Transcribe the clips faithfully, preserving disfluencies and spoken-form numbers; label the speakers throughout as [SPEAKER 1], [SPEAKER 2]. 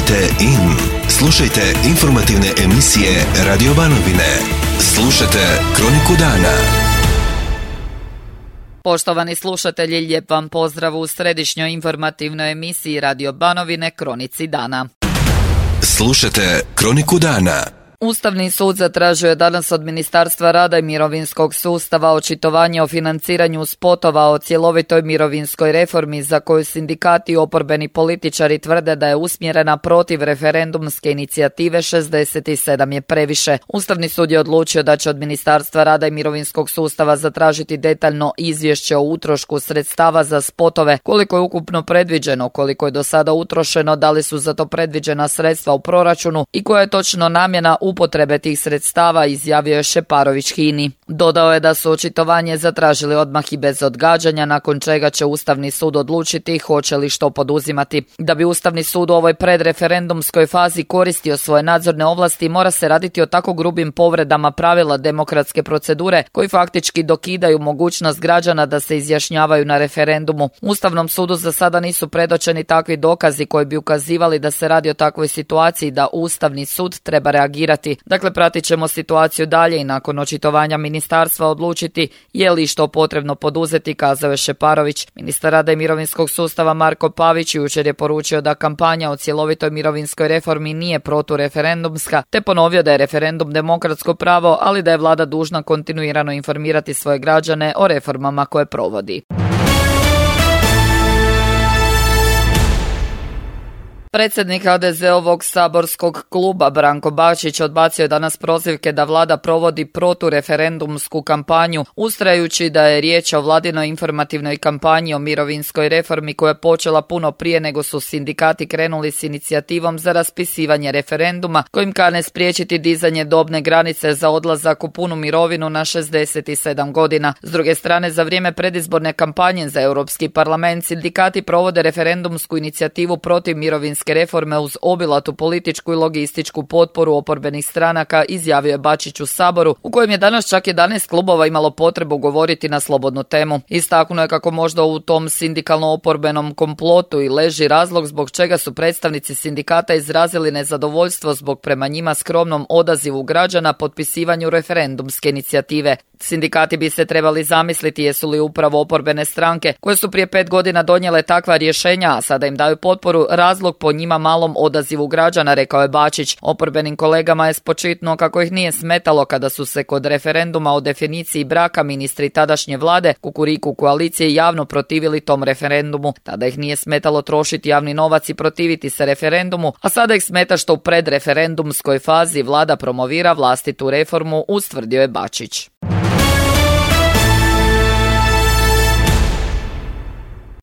[SPEAKER 1] Kliknite in. Slušajte informativne emisije Radio Banovine. Slušajte Kroniku dana.
[SPEAKER 2] Poštovani slušatelji, lijep vam pozdrav u središnjoj informativnoj emisiji Radio Banovine Kronici dana.
[SPEAKER 1] Slušajte Kroniku dana.
[SPEAKER 2] Ustavni sud zatražio je danas od Ministarstva rada i mirovinskog sustava očitovanje o financiranju spotova o cjelovitoj mirovinskoj reformi za koju sindikati i oporbeni političari tvrde da je usmjerena protiv referendumske inicijative šezdeset sedam je previše. Ustavni sud je odlučio da će od Ministarstva rada i mirovinskog sustava zatražiti detaljno izvješće o utrošku sredstava za spotove, koliko je ukupno predviđeno, koliko je do sada utrošeno, da li su za to predviđena sredstva u proračunu i koja je točno namjena upotrebe tih sredstava, izjavio je Šeparović HINA-i. Dodao je da su očitovanje zatražili odmah i bez odgađanja, nakon čega će Ustavni sud odlučiti hoće li što poduzimati. Da bi Ustavni sud u ovoj predreferendumskoj fazi koristio svoje nadzorne ovlasti, mora se raditi o tako grubim povredama pravila demokratske procedure koji faktički dokidaju mogućnost građana da se izjašnjavaju na referendumu. Ustavnom sudu za sada nisu predočeni takvi dokazi koji bi ukazivali da se radi o takvoj situaciji da Ustavni sud treba reagirati. Dakle, pratit ćemo situaciju dalje i nakon očitovanja ministarstva odlučiti je li što potrebno poduzeti, kazao je Šeparović. Ministar rada i mirovinskog sustava Marko Pavić jučer je poručio da kampanja o cjelovitoj mirovinskoj reformi nije protureferendumska, te ponovio da je referendum demokratsko pravo, ali da je vlada dužna kontinuirano informirati svoje građane o reformama koje provodi. Predsjednik ha de ze-ovog saborskog kluba Branko Bačić odbacio je danas prozivke da vlada provodi protureferendumsku kampanju, ustrajući da je riječ o vladinoj informativnoj kampanji o mirovinskoj reformi koja je počela puno prije nego su sindikati krenuli s inicijativom za raspisivanje referenduma kojim kane spriječiti dizanje dobne granice za odlazak u punu mirovinu na šezdeset sedam godina. S druge strane, za vrijeme predizborne kampanje za Europski parlament sindikati provode referendumsku inicijativu protiv mirovinske reforme uz obilatu političku i logističku potporu oporbenih stranaka, izjavio je Bačić u Saboru, u kojem je danas čak jedanaest klubova imalo potrebu govoriti na slobodnu temu. Istaknuo je kako možda u tom sindikalno-oporbenom komplotu i leži razlog zbog čega su predstavnici sindikata izrazili nezadovoljstvo zbog prema njima skromnom odazivu građana potpisivanju referendumske inicijative. Sindikati bi se trebali zamisliti jesu li upravo oporbene stranke koje su prije pet godina donijele takva rješenja, a sada im daju potporu, razlog po njima malom odazivu građana, rekao je Bačić. Oporbenim kolegama je spočitnuo kako ih nije smetalo kada su se kod referenduma o definiciji braka ministri tadašnje vlade Kukuriku koalicije javno protivili tom referendumu. Tada ih nije smetalo trošiti javni novac i protiviti se referendumu, a sada ih smeta što u predreferendumskoj fazi vlada promovira vlastitu reformu, ustvrdio je Bačić.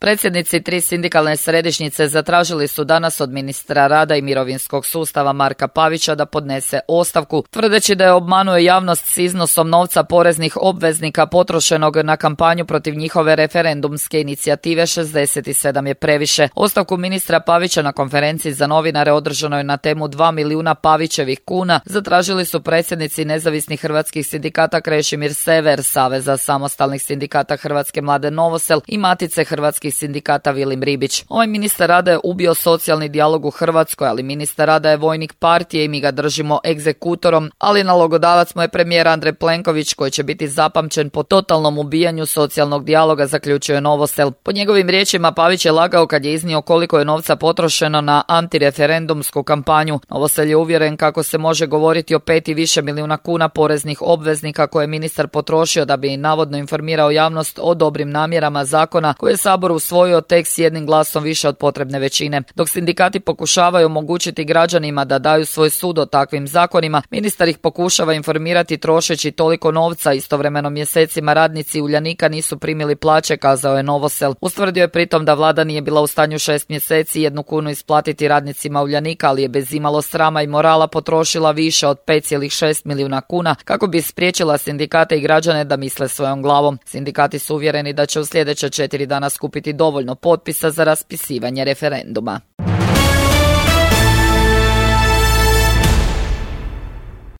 [SPEAKER 2] Predsjednici tri sindikalne središnjice zatražili su danas od ministra rada i mirovinskog sustava Marka Pavića da podnese ostavku, tvrdeći da je obmanuo javnost s iznosom novca poreznih obveznika potrošenog na kampanju protiv njihove referendumske inicijative šezdeset sedam je previše. Ostavku ministra Pavića na konferenciji za novinare održanoj na temu dva milijuna Pavićevih kuna zatražili su predsjednici nezavisnih hrvatskih sindikata Krešimir Sever, Saveza samostalnih sindikata Hrvatske mlade Novosel i Matice hrvatskih sindikata Vilim Ribić. Ovaj ministar rada je ubio socijalni dijalog u Hrvatskoj, ali ministar rada je vojnik partije i mi ga držimo egzekutorom, ali nalogodavac mu je premijer Andrej Plenković koji će biti zapamćen po totalnom ubijanju socijalnog dijaloga, zaključio je Novosel. Po njegovim riječima Pavić je lagao kad je iznio koliko je novca potrošeno na antireferendumsku kampanju. Novosel je uvjeren kako se može govoriti o pet i više milijuna kuna poreznih obveznika koje je ministar potrošio da bi navodno informirao javnost o dobrim namjerama zakona koje je Sabor usvojio tek s jednim glasom više od potrebne većine. Dok sindikati pokušavaju omogućiti građanima da daju svoj sud o takvim zakonima, ministar ih pokušava informirati trošeći toliko novca. Istovremeno mjesecima radnici Uljanika nisu primili plaće, kazao je Novosel. Ustvrdio je pritom da vlada nije bila u stanju šest mjeseci jednu kunu isplatiti radnicima Uljanika, ali je bez imalo srama i morala potrošila više od pet zarez šest milijuna kuna kako bi spriječila sindikate i građane da misle svojom glavom. Sindikati su uvjereni da će u sljedeće četiri dana skupiti dovoljno potpisa za raspisivanje referenduma.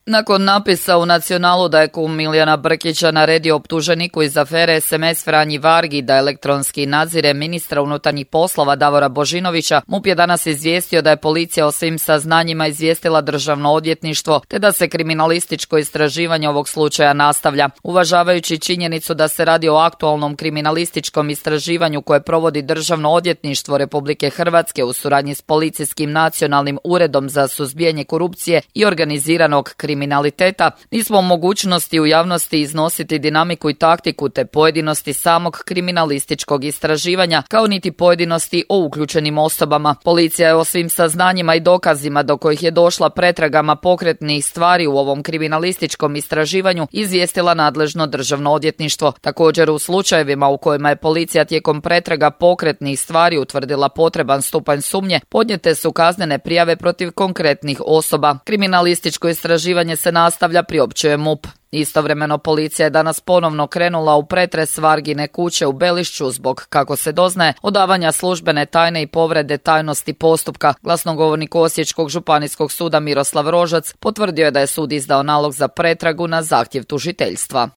[SPEAKER 2] Nakon napisa u Nacionalu da je kum Milijana Brkića naredio optuženiku iz afere es em es Franji Vargi da elektronski nadzire ministra unutarnjih poslova Davora Božinovića, MUP je danas izvijestio da je policija o svim saznanjima izvijestila Državno odvjetništvo te da se kriminalističko istraživanje ovog slučaja nastavlja. Uvažavajući činjenicu da se radi o aktualnom kriminalističkom istraživanju koje provodi Državno odvjetništvo Republike Hrvatske u suradnji s Policijskim nacionalnim uredom za suzbijanje korupcije i organiziranog kriminaliteta, nismo u mogućnosti u javnosti iznositi dinamiku i taktiku te pojedinosti samog kriminalističkog istraživanja, kao niti pojedinosti o uključenim osobama. Policija je o svim saznanjima i dokazima do kojih je došla pretragama pokretnih stvari u ovom kriminalističkom istraživanju izvijestila nadležno Državno odvjetništvo. Također u slučajevima u kojima je policija tijekom pretraga pokretnih stvari utvrdila potreban stupanj sumnje, podnijete su kaznene prijave protiv konkretnih osoba. Kriminalističko istraživanje se nastavlja, priopćuje MUP. Istovremeno policija je danas ponovno krenula u pretres Vargine kuće u Belišću zbog, kako se doznaje, odavanja službene tajne i povrede tajnosti postupka. Glasnogovornik Osječkog županijskog suda Miroslav Rožac potvrdio je da je sud izdao nalog za pretragu na zahtjev tužiteljstva.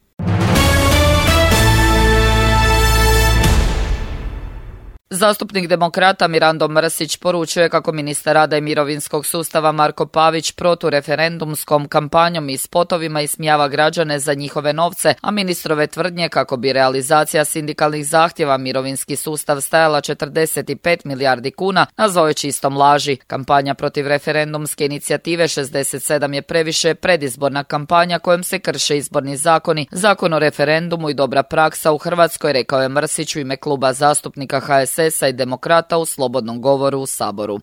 [SPEAKER 2] Zastupnik Demokrata Mirando Mrsić poručuje kako ministar rada i mirovinskog sustava Marko Pavić protureferendumskom kampanjom i spotovima ismijava građane za njihove novce, a ministrove tvrdnje kako bi realizacija sindikalnih zahtjeva mirovinski sustav stajala četrdeset pet milijardi kuna nazvao je čistom laži. Kampanja protiv referendumske inicijative šezdeset sedam je previše predizborna kampanja kojom se krše izborni zakoni, zakon o referendumu i dobra praksa u Hrvatskoj, rekao je Mrsić u ime kluba zastupnika ha es es i Demokrata u slobodnom govoru u Saboru.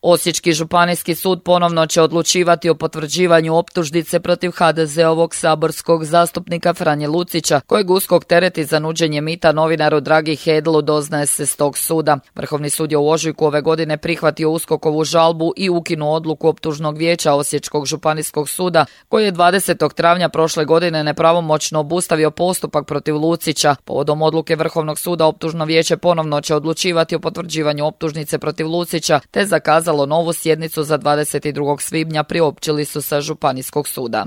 [SPEAKER 2] Osječki županijski sud ponovno će odlučivati o potvrđivanju optužnice protiv ha de zeovog saborskog zastupnika Franje Lucića, kojeg USKOK tereti za nuđenje mita novinaru Dragi Hedlu, doznaje se s tog suda. Vrhovni sud je u ožujku ove godine prihvatio USKOKovu žalbu i ukinuo odluku optužnog vijeća Osječkog županijskog suda, koji je dvadesetog travnja prošle godine nepravomoćno obustavio postupak protiv Lucića. Povodom odluke Vrhovnog suda optužno vijeće ponovno će odlučivati o potvrđivanju optužnice protiv Lucića, te zakazalo novu sjednicu za dvadeset drugog svibnja, priopćili su sa Županijskog suda.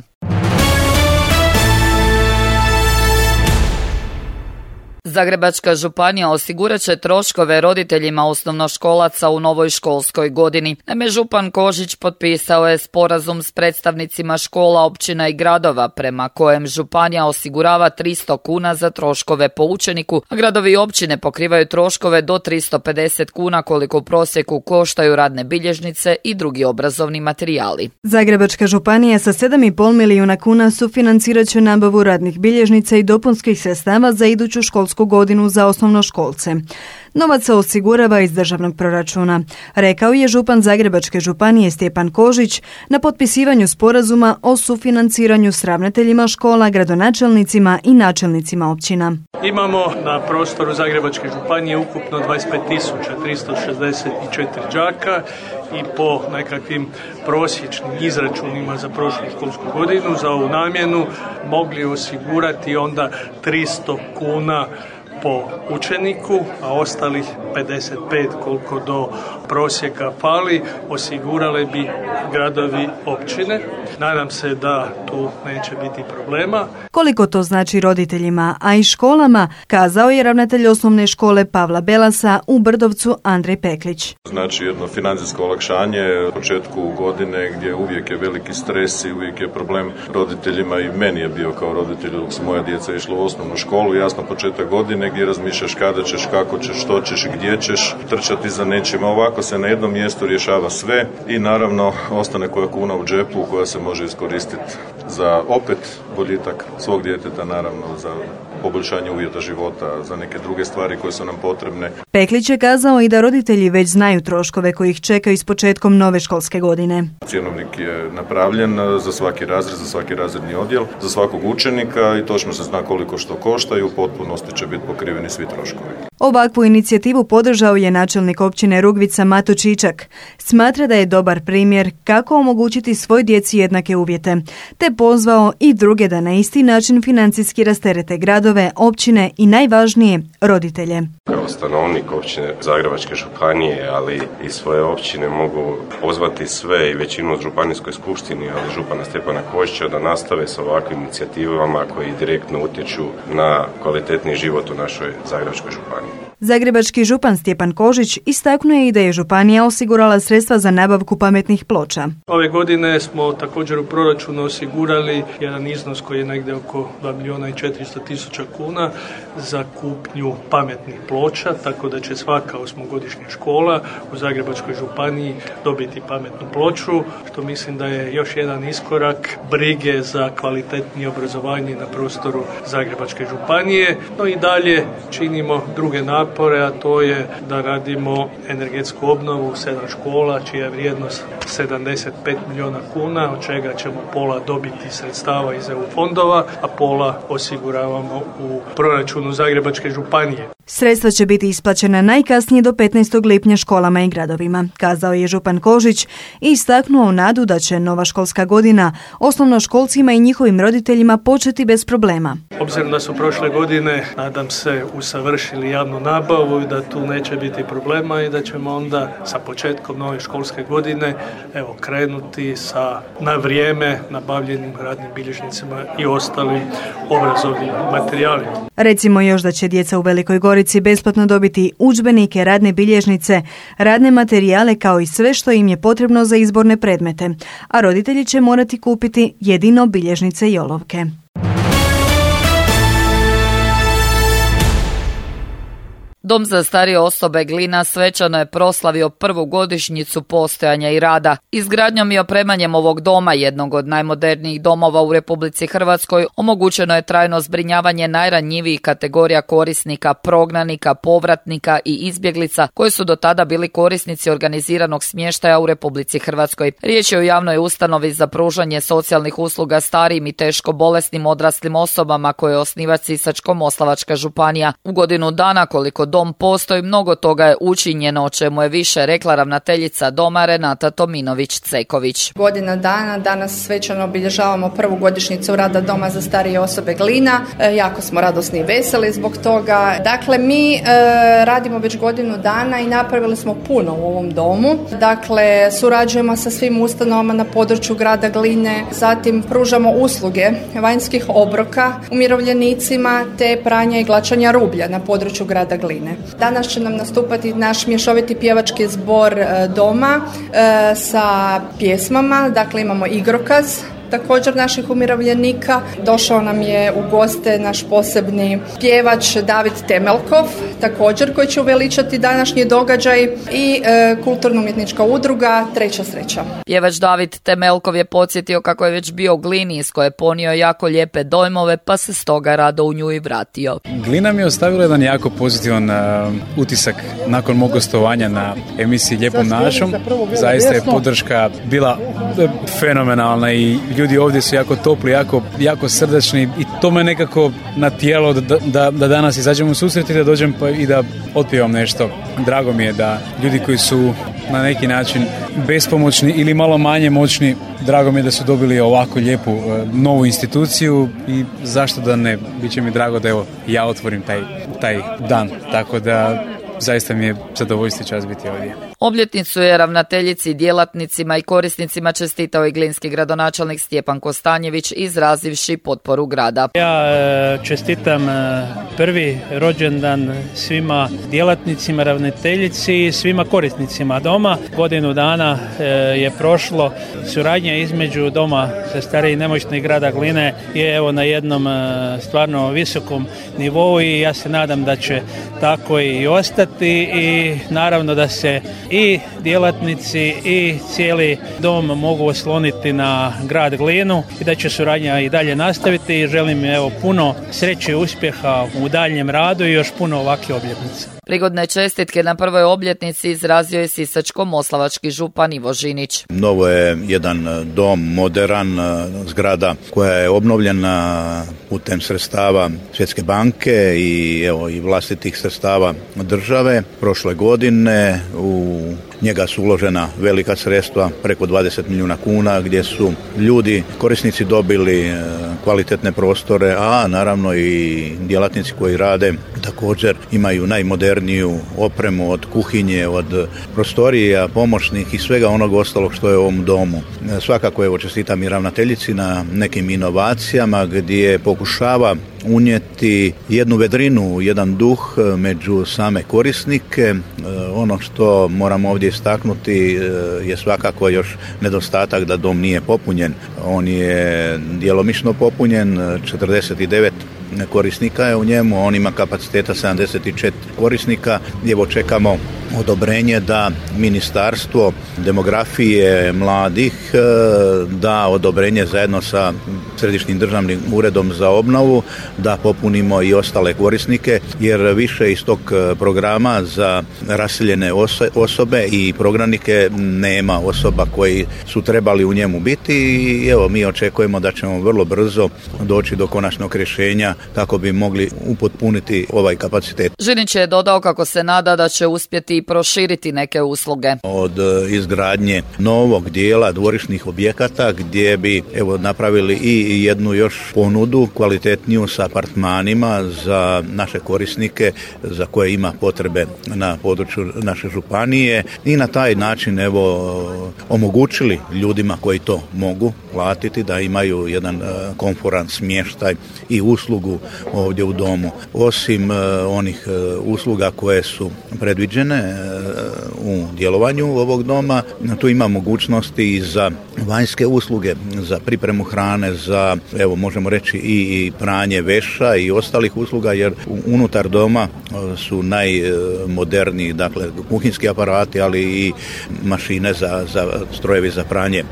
[SPEAKER 2] Zagrebačka županija osigurat će troškove roditeljima osnovnoškolaca u novoj školskoj godini. Naime, župan Kožić potpisao je sporazum s predstavnicima škola, općina i gradova prema kojem županija osigurava tristo kuna za troškove po učeniku, a gradovi i općine pokrivaju troškove do tristo pedeset kuna koliko u prosjeku koštaju radne bilježnice i drugi obrazovni materijali.
[SPEAKER 3] Zagrebačka županija sa sedam i pol milijuna kuna sufinancirat će nabavu radnih bilježnica i dopunskih sredstava za iduću školsku godinu za osnovnoškolce. Novac se osigurava iz državnog proračuna, rekao je župan Zagrebačke županije Stjepan Kožić na potpisivanju sporazuma o sufinanciranju s ravnateljima škola, gradonačelnicima i načelnicima općina.
[SPEAKER 4] Imamo na prostoru Zagrebačke županije ukupno dvadeset pet tisuća tristo šezdeset četiri đaka i po nekakvim prosječnim izračunima za prošlu školsku godinu za ovu namjenu mogli osigurati onda tristo kuna po učeniku, a ostalih pedeset pet koliko do prosjeka fali osigurale bi gradovi, općine. Nadam se da tu neće biti problema.
[SPEAKER 3] Koliko to znači roditeljima, a i školama, kazao je ravnatelj osnovne škole Pavla Belasa u Brdovcu Andrej Peklić.
[SPEAKER 5] Znači jedno financijsko olakšanje u početku godine gdje uvijek je veliki stres i uvijek je problem roditeljima, i meni je bio kao roditelj dok su moja djeca išla u osnovnu školu, jasno početak godine gdje razmišljaš kada ćeš, kako ćeš, što ćeš, gdje ćeš trčati za nečima. Ovako se na jednom mjestu rješava sve i naravno ostane koja kuna u džepu koja se može iskoristiti za opet boljitak svog djeteta, naravno za poboljšanje uvjeta života, za neke druge stvari koje su nam potrebne.
[SPEAKER 3] Peklić je kazao i da roditelji već znaju troškove koji ih čekaju s početkom nove školske godine.
[SPEAKER 5] Cjenovnik je napravljen za svaki razred, za svaki razredni odjel, za svakog učenika i točno se zna koliko što košta i u potpunosti će biti pokriveni svi troškovi.
[SPEAKER 3] Ovakvu inicijativu podržao je načelnik općine Rugvica Mato Čičak. Smatra da je dobar primjer kako omogućiti svoj djeci jednake uvjete, te pozvao i druge da na isti način financijski rasterete gradove, općine i najvažnije roditelje.
[SPEAKER 6] Kao stanovnik općine Zagrebačke županije, ali i svoje općine mogu pozvati sve i većinu od županijskoj skupštini, ali župana Stjepana Kožića da nastave s ovakvim inicijativama koji direktno utječu na kvalitetni život u našoj Zagrebačkoj županiji.
[SPEAKER 3] Zagrebački župan Stjepan Kožić istaknuo je i da je županija osigurala sredstva za nabavku pametnih ploča.
[SPEAKER 4] Ove godine smo također u proračunu osigurali jedan iznos koji je negdje oko dva milijuna i četiristo tisuća kuna za kupnju pametnih ploča, tako da će svaka osmogodišnja škola u Zagrebačkoj županiji dobiti pametnu ploču, što mislim da je još jedan iskorak brige za kvalitetnije obrazovanje na prostoru Zagrebačke županije. No i dalje činimo druge napore, a to je da radimo energetsku obnovu sedam škola čija je vrijednost sedamdeset pet milijuna kuna, od čega ćemo pola dobiti sredstava iz E U fondova, a pola osiguravamo u proračunu Zagrebačke županije.
[SPEAKER 3] Sredstva će biti isplaćena najkasnije do petnaestog lipnja školama i gradovima, kazao je župan Kožić i istaknuo nadu da će nova školska godina osnovnoškolcima i njihovim roditeljima početi bez problema.
[SPEAKER 4] Obzirom da su prošle godine, nadam se, usavršili javnu nabavu i da tu neće biti problema i da ćemo onda sa početkom nove školske godine evo, krenuti sa na vrijeme nabavljenim radnim bilježnicima i ostalim obrazovnim materijalima.
[SPEAKER 3] Recimo još da će djeca u Velikoj Gorici besplatno dobiti udžbenike, radne bilježnice, radne materijale kao i sve što im je potrebno za izborne predmete, a roditelji će morati kupiti jedino bilježnice i olovke.
[SPEAKER 2] Dom za starije osobe Glina svečano je proslavio prvu godišnjicu postojanja i rada. Izgradnjom i opremanjem ovog doma, jednog od najmodernijih domova u Republici Hrvatskoj, omogućeno je trajno zbrinjavanje najranjivijih kategorija korisnika, prognanika, povratnika i izbjeglica koji su do tada bili korisnici organiziranog smještaja u Republici Hrvatskoj. Riječ je o javnoj ustanovi za pružanje socijalnih usluga starijim i teško bolesnim odraslim osobama koje osniva Sisačko-moslavačka županija. U godinu dana koliko dom postoji, mnogo toga je učinjeno, o čemu je više rekla ravnateljica doma Renata Tominović-Ceković.
[SPEAKER 7] Godina dana, danas svečano obilježavamo prvu godišnjicu rada Doma za starije osobe Glina. E, jako smo radosni i veseli zbog toga. Dakle, mi e, radimo već godinu dana i napravili smo puno u ovom domu. Dakle, surađujemo sa svim ustanovama na području grada Gline, zatim pružamo usluge vanjskih obroka umirovljenicima te pranja i glačanja rublja na području grada Gline. Danas će nam nastupati naš mješoviti pjevački zbor doma e, sa pjesmama, dakle imamo igrokaz također naših umirovljenika. Došao nam je u goste naš posebni pjevač David Temelkov, također koji će uveličati današnji događaj i e, kulturno-umjetnička udruga Treća sreća.
[SPEAKER 2] Pjevač David Temelkov je podsjetio kako je već bio u Glini iz koje je ponio jako lijepe dojmove, pa se stoga rado u nju i vratio.
[SPEAKER 8] Glina mi je ostavila jedan jako pozitivan uh, utisak nakon mog gostovanja na emisiji Lijepom našom. Zaista je podrška bila fenomenalna i ljudi ovdje su jako topli, jako, jako srdačni i to me nekako natijelo da, da, da danas izađemo u susret i da dođem pa i da otpjevam nešto. Drago mi je da ljudi koji su na neki način bespomoćni ili malo manje moćni, drago mi je da su dobili ovako lijepu uh, novu instituciju i zašto da ne, bit će mi drago da evo ja otvorim taj, taj dan, tako da zaista mi je zadovoljstvo i čast biti ovdje.
[SPEAKER 2] Obljetnicu je ravnateljici, djelatnicima i korisnicima čestitao i glinski gradonačelnik Stjepan Kostanjević, izrazivši potporu grada.
[SPEAKER 9] Ja čestitam prvi rođendan svima djelatnicima, ravnateljici i svima korisnicima doma. Godinu dana je prošlo. Suradnja između Doma za starije i nemoćne grada Gline je evo na jednom stvarno visokom nivou i ja se nadam da će tako i ostati i naravno da se i djelatnici i cijeli dom mogu osloniti na grad Glinu i da će suradnja i dalje nastaviti i želim evo puno sreće i uspjeha u daljnjem radu i još puno ovakve obljetnice.
[SPEAKER 2] Prigodne čestitke na prvoj obljetnici izrazio je sisačko-moslavački župan Ivo Žinić.
[SPEAKER 10] Novo je jedan dom, moderan, zgrada koja je obnovljena putem sredstava Svjetske banke i evo i vlastitih sredstava države. Prošle godine u njega su uložena velika sredstva, preko dvadeset milijuna kuna, gdje su ljudi, korisnici dobili kvalitetne prostore, a naravno i djelatnici koji rade također imaju najmoderniju opremu od kuhinje, od prostorija, pomoćnih i svega onog ostalog što je u ovom domu. Svakako evo čestitam i ravnateljici na nekim inovacijama gdje pokušava unijeti jednu vedrinu, jedan duh među same korisnike. Ono što moramo ovdje istaknuti je svakako još nedostatak da dom nije popunjen. On je djelomično popunjen, četrdeset devet korisnika je u njemu, on ima kapaciteta sedamdeset četiri korisnika. Evo čekamo odobrenje da Ministarstvo demografije mladih da odobrenje zajedno sa Središnjim državnim uredom za obnovu da popunimo i ostale korisnike, jer više iz tog programa za raseljene osobe i prognanike nema osoba koji su trebali u njemu biti i evo mi očekujemo da ćemo vrlo brzo doći do konačnog rješenja kako bi mogli upotpuniti ovaj kapacitet.
[SPEAKER 2] Žinić je dodao kako se nada da će uspjeti i proširiti neke usluge.
[SPEAKER 10] Od izgradnje novog dijela dvorišnih objekata gdje bi evo napravili i jednu još ponudu kvalitetniju sa apartmanima za naše korisnike za koje ima potrebe na području naše županije i na taj način evo omogućili ljudima koji to mogu platiti da imaju jedan komforan smještaj i uslugu ovdje u domu. Osim onih usluga koje su predviđene u djelovanju ovog doma, tu ima mogućnosti i za vanjske usluge, za pripremu hrane, za evo možemo reći i pranje veša i ostalih usluga, jer unutar doma su najmoderniji, dakle kuhinski aparati, ali i mašine za, za strojevi za pranje e,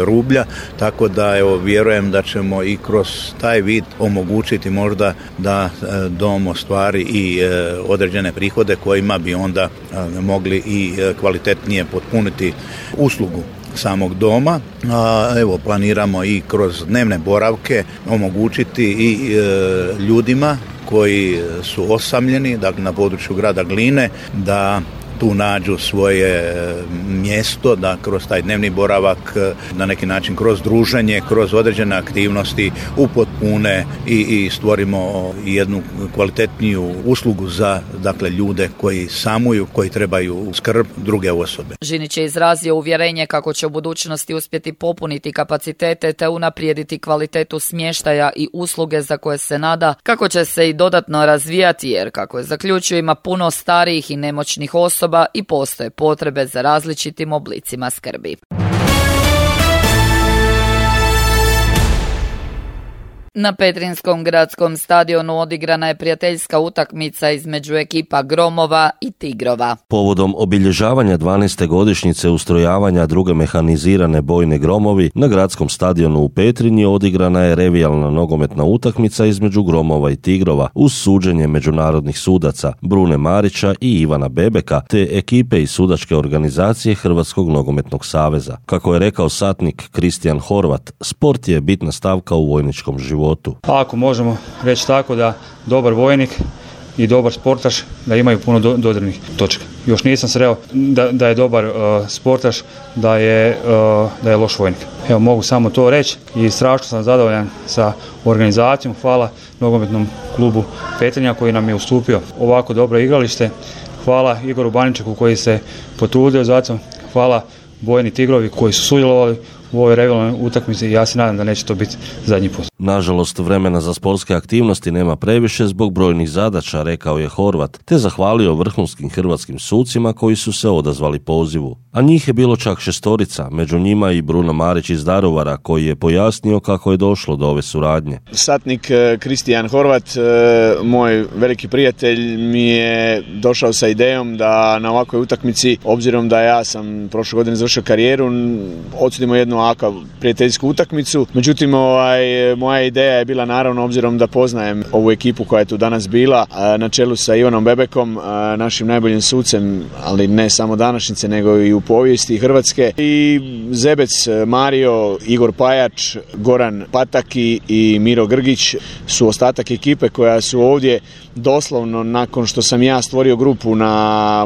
[SPEAKER 10] rublja, tako da evo vjerujem da ćemo i kroz taj vid omogućiti možda da e, dom ostvari i e, određene prihode kojima bi onda e, mogli i e, kvalitetnije potpuniti uslugu samog doma. A, evo planiramo i kroz dnevne boravke omogućiti i e, ljudima koji su osamljeni, dakle na području grada Gline, da tu nađu svoje mjesto, da kroz taj dnevni boravak na neki način kroz druženje, kroz određene aktivnosti upotpune i, i stvorimo jednu kvalitetniju uslugu za dakle ljude koji samuju, koji trebaju skrb druge osobe.
[SPEAKER 2] Žinić je izrazio uvjerenje kako će u budućnosti uspjeti popuniti kapacitete te unaprijediti kvalitetu smještaja i usluge za koje se nada kako će se i dodatno razvijati, jer kako je zaključio ima puno starijih i nemoćnih osoba i postoje potrebe za različitim oblicima skrbi. Na Petrinjskom gradskom stadionu odigrana je prijateljska utakmica između ekipa Gromova i Tigrova.
[SPEAKER 11] Povodom obilježavanja dvanaeste godišnjice ustrojavanja druge mehanizirane bojne Gromovi, na gradskom stadionu u Petrinji odigrana je revijalna nogometna utakmica između Gromova i Tigrova uz suđenje međunarodnih sudaca Brune Marića i Ivana Bebeka te ekipe i sudačke organizacije Hrvatskog nogometnog saveza. Kako je rekao satnik Kristijan Horvat, sport je bitna stavka u vojničkom životu.
[SPEAKER 12] Ako možemo reći tako da dobar vojnik i dobar sportaš da imaju puno do, dodirnih točka. Još nisam sreo da, da je dobar uh, sportaš, da je, uh, da je loš vojnik. Evo mogu samo to reći i strašno sam zadovoljan sa organizacijom. Hvala nogometnom klubu Petrinja koji nam je ustupio ovako dobro igralište. Hvala Igoru Baničeku koji se potrudio za to. Hvala Bojni Tigrovi koji su sudjelovali u ovoj revijalnoj utakmici i ja se nadam da neće to biti zadnji put.
[SPEAKER 11] Nažalost, vremena za sportske aktivnosti nema previše zbog brojnih zadaća, rekao je Horvat, te zahvalio vrhunskim hrvatskim sucima koji su se odazvali pozivu. A njih je bilo čak šestorica, među njima i Bruno Marić iz Daruvara, koji je pojasnio kako je došlo do ove suradnje.
[SPEAKER 13] Satnik Kristijan Horvat, moj veliki prijatelj, mi je došao sa idejom da na ovakvoj utakmici, obzirom da ja sam prošle godine završio karijeru, odsudimo jednu ovakvu prijateljsku utakmicu. Međutim, ovaj, moja ideja je bila, naravno, obzirom da poznajem ovu ekipu koja je tu danas bila, na čelu sa Ivanom Bebekom, našim najboljim sucem, ali ne samo današnjice, nego i u povijesti Hrvatske, i Zebec Mario, Igor Pajač, Goran Pataki i Miro Grgić su ostatak ekipe koja su ovdje doslovno nakon što sam ja stvorio grupu na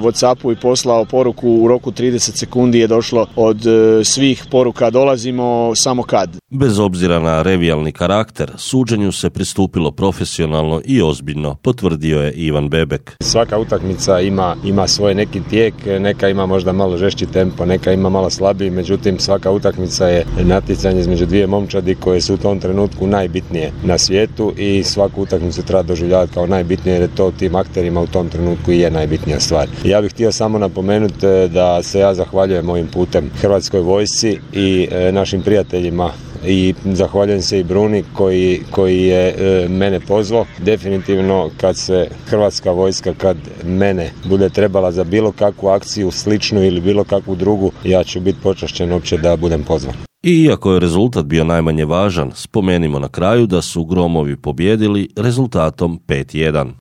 [SPEAKER 13] WhatsAppu i poslao poruku u roku trideset sekundi je došlo od svih poruka dolazimo samo kad.
[SPEAKER 11] Bez obzira na revijalni karakter, suđenju se pristupilo profesionalno i ozbiljno, potvrdio je Ivan Bebek.
[SPEAKER 14] Svaka utakmica ima, ima svoj neki tijek, neka ima možda malo žešći tempo, neka ima malo slabiji, međutim svaka utakmica je natjecanje između dvije momčadi koje su u tom trenutku najbitnije na svijetu i svaku utakmicu treba doživljavati kao najbitnije jer je to tim akterima u tom trenutku i je najbitnija stvar. Ja bih htio samo napomenuti da se ja zahvaljujem ovim putem Hrvatskoj vojsci i našim prijateljima i zahvaljujem se i Bruni koji, koji je e, mene pozvao. Definitivno kad se Hrvatska vojska, kad mene bude trebala za bilo kakvu akciju sličnu ili bilo kakvu drugu, ja ću biti počašćen uopće da budem pozvan.
[SPEAKER 11] I iako je rezultat bio najmanje važan, spomenimo na kraju da su Gromovi pobijedili rezultatom pet jedan.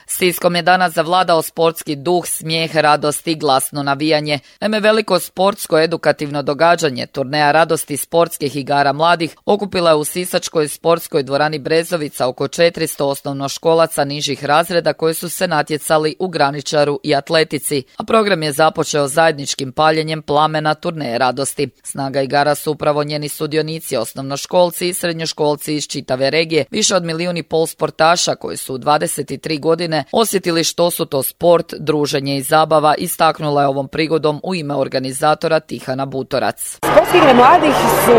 [SPEAKER 2] Siskom je danas zavladao sportski duh, smijeh, radost i glasno navijanje. Naime, veliko sportsko edukativno događanje, turneja radosti sportskih igara mladih, okupila je u sisačkoj sportskoj dvorani Brezovica oko četiristo osnovnoškolaca nižih razreda koji su se natjecali u graničaru i atletici, a program je započeo zajedničkim paljenjem plamena turneje radosti. Snaga igara su upravo njeni sudionici, osnovnoškolci i srednjoškolci iz čitave regije, više od milijun i pol sportaša koji su u dvadeset tri godine osjetili što su to sport, druženje i zabava, istaknula je ovom prigodom u ime organizatora Tihana Butorac.
[SPEAKER 15] Sportske igre mladih su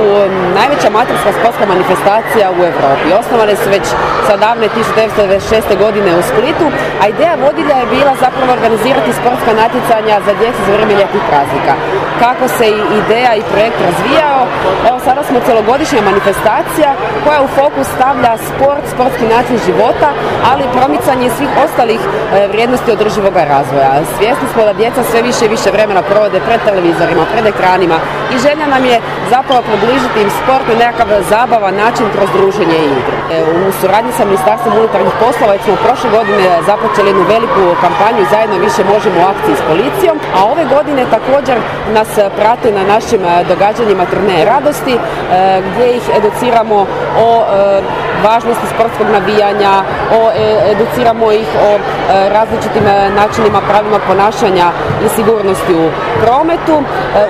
[SPEAKER 15] najveća amaterska sportska manifestacija u Europi. Osnovane su već sa davne tisuću devetsto devedeset šeste. godine u Splitu, a ideja vodilja je bila zapravo organizirati sportska natjecanja za djecu za vrijeme ljetnih praznika. Kako se i ideja i projekt razvijao, evo sada smo cjelogodišnja manifestacija koja u fokus stavlja sport, sportski način života, ali i promicanje svih ostalih vrijednosti održivog razvoja. Svjesni smo da djeca sve više i više vremena provode pred televizorima, pred ekranima i želja nam je zapravo približiti im sport na nekakav zabavan način kroz druženje i igru. U suradnji sa Ministarstvom unutarnjih poslova već smo prošle godine započeli jednu veliku kampanju Zajedno više možemo u akciji s policijom, a ove godine također nas prate na našim događanjima turneje radosti gdje ih educiramo o važnosti sportskog navijanja, o, educiramo ih o e, različitim načinima, pravima ponašanja i sigurnosti u prometu. E,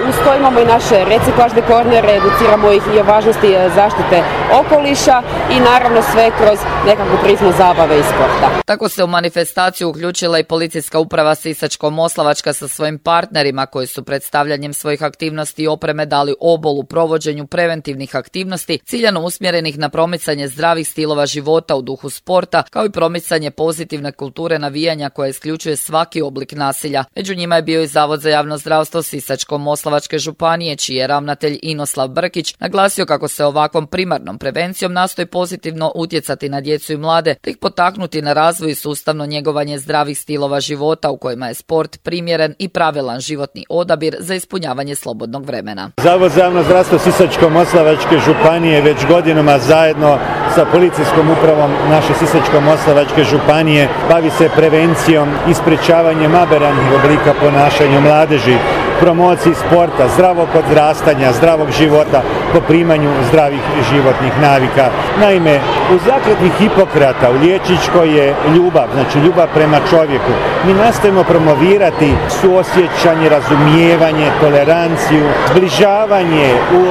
[SPEAKER 15] uz to imamo i naše reciklažne kornere, educiramo ih i o važnosti zaštite okoliša i naravno sve kroz nekakvu prizmu zabave i sporta.
[SPEAKER 2] Tako se u manifestaciju uključila i policijska uprava Sisačko-Moslavačka sa svojim partnerima koji su predstavljanjem svojih aktivnosti i opreme dali obol u provođenju preventivnih aktivnosti ciljano usmjerenih na promicanje zdravih stilova života u duhu sporta, kao i promicanje pozitivne kulture navijanja koja isključuje svaki oblik nasilja. Među njima je bio i Zavod za javno zdravstvo Sisačko-Moslavačke županije, čiji je ravnatelj Inoslav Brkić naglasio kako se ovakvom primarnom prevencijom nastoji pozitivno utjecati na djecu i mlade, te ih potaknuti na razvoj i sustavno njegovanje zdravih stilova života u kojima je sport primjeren i pravilan životni odabir za ispunjavanje slobodnog vremena.
[SPEAKER 16] Zavod za javno zdravstvo Sisačko-Moslavačke županije već godinama zajedno sa policijskom upravom naše Sisačko-Moslavačke županije bavi se prevencijom i sprečavanjem aberantnih oblika ponašanja mladeži, promociji sporta, zdravog odrastanja, zdravog života, po primanju zdravih životnih navika. Naime, u zakletvi Hipokrata u liječničkoj je ljubav, znači ljubav prema čovjeku. Mi nastojimo promovirati suosjećanje, razumijevanje, toleranciju, zbližavanje u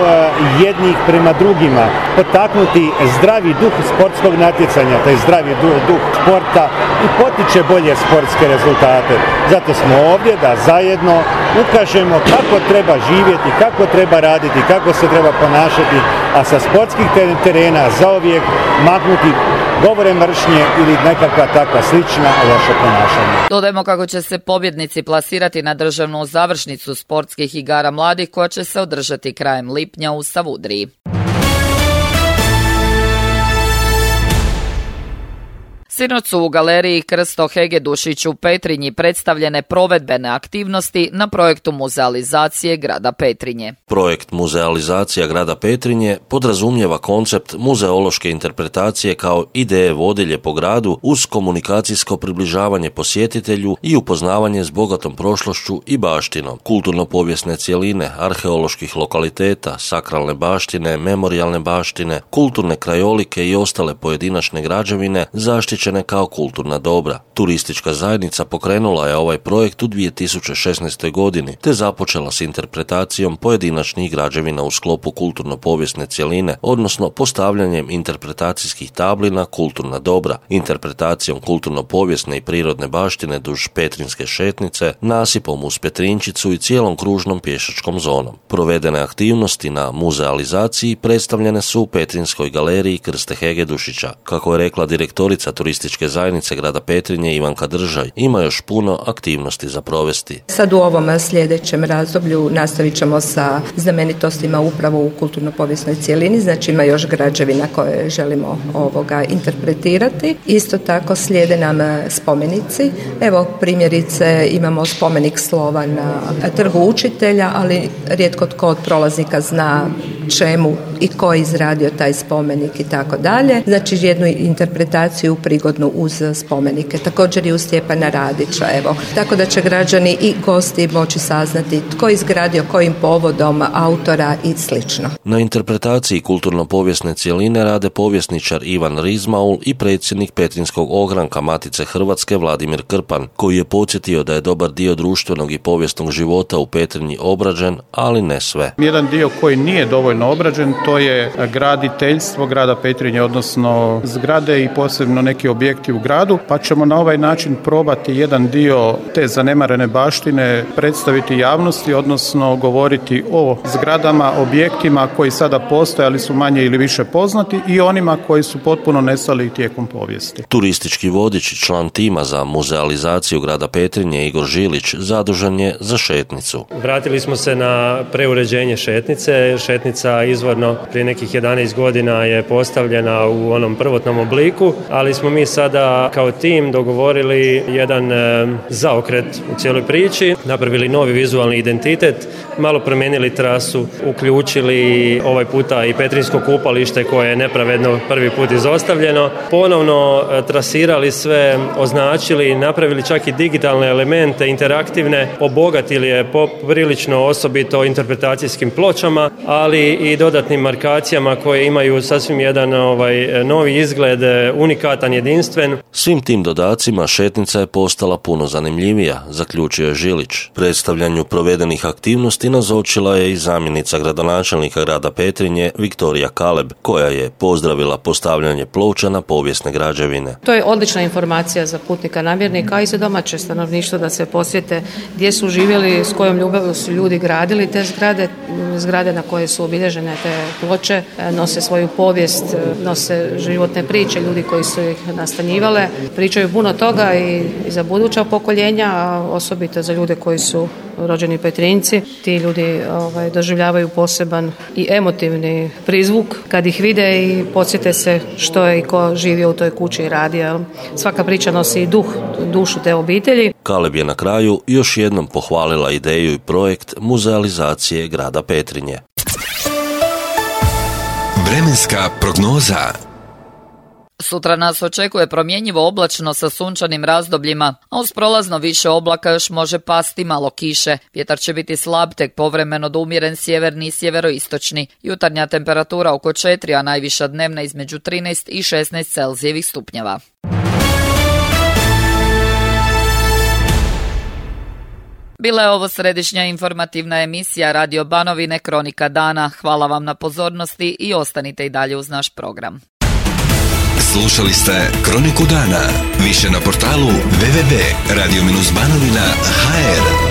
[SPEAKER 16] jednih prema drugima, potaknuti zdravi duh sportskog natjecanja, taj zdravi duh sporta i potiče bolje sportske rezultate. Zato smo ovdje da zajedno ukažemo kako treba živjeti, kako treba raditi, kako se treba ponašati, a sa sportskih terena zauvijek maknuti govore mržnje ili nekakva takva slična loša ponašanja.
[SPEAKER 2] Dodajmo kako će se pobjednici plasirati na državnu završnicu sportskih igara mladih koja će se održati krajem lipnja u Savudriji. Sinoć su u galeriji Krsto Hegedušić u Petrinji predstavljene provedbene aktivnosti na projektu muzealizacije grada Petrinje.
[SPEAKER 11] Projekt muzealizacija grada Petrinje podrazumijeva koncept muzeološke interpretacije kao ideje vodilje po gradu uz komunikacijsko približavanje posjetitelju i upoznavanje s bogatom prošlošću i baštinom, kulturno-povijesne cjeline, arheoloških lokaliteta, sakralne baštine, memorijalne baštine, kulturne krajolike i ostale pojedinačne građevine zaštićene kao kulturna dobra. Turistička zajednica pokrenula je ovaj projekt u dvije tisuće šesnaestoj godini te započela s interpretacijom pojedinačnih građevina u sklopu kulturno-povijesne cjeline, odnosno postavljanjem interpretacijskih tabli na kulturna dobra, interpretacijom kulturno-povijesne i prirodne baštine duž Petrinjske šetnice, nasipom uz Petrinčicu i cijelom kružnom pješačkom zonom. Provedene aktivnosti na muzealizaciji predstavljene su u Petrinjskoj galeriji Krste Hegedušića. Kako je rekla direktorica turističke zajednice grada Petrinje Ivanka Držaj, ima još puno aktivnosti za provesti.
[SPEAKER 17] Sad u ovom sljedećem razdoblju nastavit ćemo sa znamenitostima upravo u kulturno-povijesnoj cjelini, znači ima još građevina koje želimo ovoga interpretirati. Isto tako slijede nam spomenici. Evo primjerice imamo spomenik slova na Trgu učitelja, ali rijetko tko od prolaznika zna čemu i ko je izradio taj spomenik i tako dalje. Znači jednu interpretaciju prigodnu uz spomenike. Također i u Stjepana Radića, evo. Tako da će građani i gosti moći saznati tko je izgradio, kojim povodom, autora i slično.
[SPEAKER 11] Na interpretaciji kulturno-povijesne cjeline rade povjesničar Ivan Rizmaul i predsjednik Petrinjskog ogranka Matice Hrvatske Vladimir Krpan, koji je podsjetio da je dobar dio društvenog i povijesnog života u Petrinji obrađen, ali ne sve.
[SPEAKER 18] Jedan dio koji nije dovoljno obrađen, to je graditeljstvo grada Petrinje, odnosno zgrade i posebno neki objekti u gradu, pa ćemo na ovaj način probati jedan dio te zanemarene baštine predstaviti javnosti, odnosno govoriti o zgradama, objektima koji sada postoje, ali su manje ili više poznati i onima koji su potpuno nestali tijekom povijesti.
[SPEAKER 11] Turistički vodič i član tima za muzealizaciju grada Petrinje Igor Žilić zadužen je za šetnicu.
[SPEAKER 19] Vratili smo se na preuređenje šetnice. Šetnica izvorno prije nekih jedanaest godina je postavljena u onom prvotnom obliku, ali smo mi sada kao tim dogovorili jedan e, zaokret u cijeloj priči, napravili novi vizualni identitet, malo promijenili trasu, uključili ovaj puta i Petrinjsko kupalište koje je nepravedno prvi put izostavljeno, ponovno e, trasirali sve, označili, napravili čak i digitalne elemente, interaktivne, obogatili je poprilično osobito interpretacijskim pločama, ali i dodatnim markacijama koje imaju sasvim jedan ovaj novi izgled, unikatan, jedinstven.
[SPEAKER 11] Svim tim dodacima šetnica je postala puno zanimljivija, zaključio je Žilić. Predstavljanju provedenih aktivnosti nazočila je i zamjenica gradonačelnika grada Petrinje Viktorija Kaleb, koja je pozdravila postavljanje ploča na povijesne građevine.
[SPEAKER 20] To je odlična informacija za putnika namjernika, a i za domaće stanovništvo da se posjete gdje su živjeli, s kojom ljubavlju su ljudi gradili te zgrade, zgrade na koje su obilježene te ploče, nose svoju povijest, nose životne priče ljudi koji su ih nastanjivale, pričaju puno toga i, i za buduća pokoljenja, a osobito za ljude koji su rođeni Petrinjci. Ti ljudi ovaj, doživljavaju poseban i emotivni prizvuk kad ih vide i podsjete se što je i ko živio u toj kući i radio. Svaka priča nosi i duh, dušu te obitelji.
[SPEAKER 11] Kaleb je na kraju još jednom pohvalila ideju i projekt muzealizacije grada Petrinje.
[SPEAKER 1] Vremenska prognoza.
[SPEAKER 2] Sutra nas očekuje promjenjivo oblačno sa sunčanim razdobljima, a uz prolazno više oblaka još može pasti malo kiše. Vjetar će biti slab, tek povremeno do umjeren sjeverni i sjeveroistočni. Jutarnja temperatura oko četiri, a najviša dnevna između trinaest i šesnaest Celzijevih stupnjeva. Bila je ovo središnja informativna emisija Radio Banovine Kronika dana. Hvala vam na pozornosti i ostanite i dalje uz naš program.
[SPEAKER 1] Slušali ste Kroniku dana. Više na portalu w w w tačka radio banovina tačka h r.